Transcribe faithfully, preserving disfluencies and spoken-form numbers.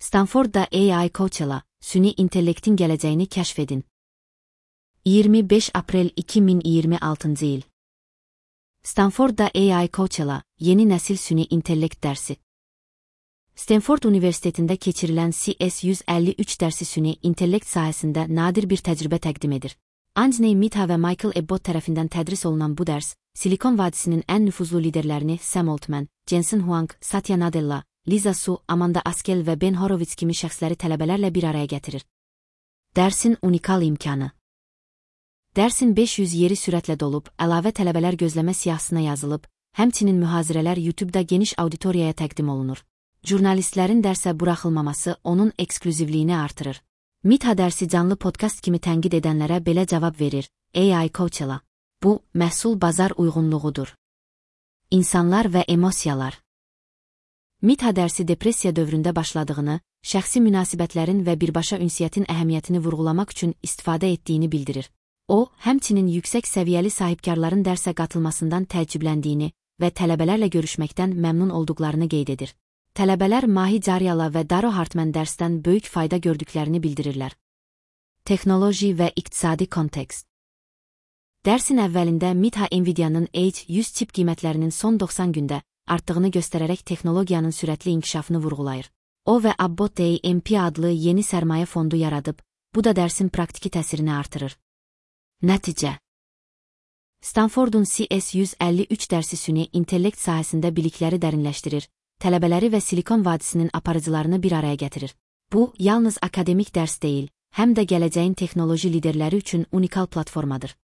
Stanford'da A I Coachella, süni intellektin gələcəyini kəşf edin. iyirmi beş Aprel iki min iyirmi altıncı il. Stanford'da A I Coachella, yeni nəsil süni intellekt dərsi. Stanford Universitetində keçirilən C S yüz əlli üç dərsi süni intellekt sahəsində nadir bir təcrübə təqdim edir. Anthony Mitha və Michael Abbott tərəfindən tədris olunan bu dərs, Silikon vadisinin ən nüfuzlu liderlərini Sam Altman, Jensen Huang, Satya Nadella, Lisa Su, Amanda Askel və Ben Horowitz kimi şəxsləri tələbələrlə bir araya gətirir. Dərsin unikal imkanı. Dərsin beş yüz yeri sürətlə dolub, əlavə tələbələr gözləmə siyahısına yazılıb, həmçinin mühazirələr YouTube-da geniş auditoriyaya təqdim olunur. Jurnalistlərin dərsə buraxılmaması onun eksklüzivliyini artırır. Mitha dərsi canlı podkast kimi tənqid edənlərə belə cavab verir: A I Coachella. Bu, məhsul bazar uyğunluğudur. İnsanlar və emosiyalar. Mitha dərsi depressiya dövründə başladığını, şəxsi münasibətlərin və birbaşa ünsiyyətin əhəmiyyətini vurğulamaq üçün istifadə etdiyini bildirir. O, həmçinin yüksək səviyyəli sahibkarların dərsə qatılmasından təəccübləndiyini və tələbələrlə görüşməkdən məmnun olduqlarını qeyd edir. Tələbələr Mahi Caryala və Daro Hartman dərsdən böyük fayda gördüklərini bildirirlər. Texnoloji və iqtisadi kontekst. Dərsin əvvəlində Mitha Nvidia'nın H yüz çip qiymətlərinin son doxsan gündə artdığını göstərərək texnologiyanın sürətli inkişafını vurğulayır. O və Abbott A M P adlı yeni sərmayə fondu yaradıb, bu da dərsin praktiki təsirini artırır. Nəticə. Stanford'un C S yüz əlli üç dərsi süni intellekt sahəsində bilikləri dərinləşdirir, tələbələri və Silikon vadisinin aparıcılarını bir araya gətirir. Bu, yalnız akademik dərs deyil, həm də gələcəyin texnoloji liderləri üçün unikal platformadır.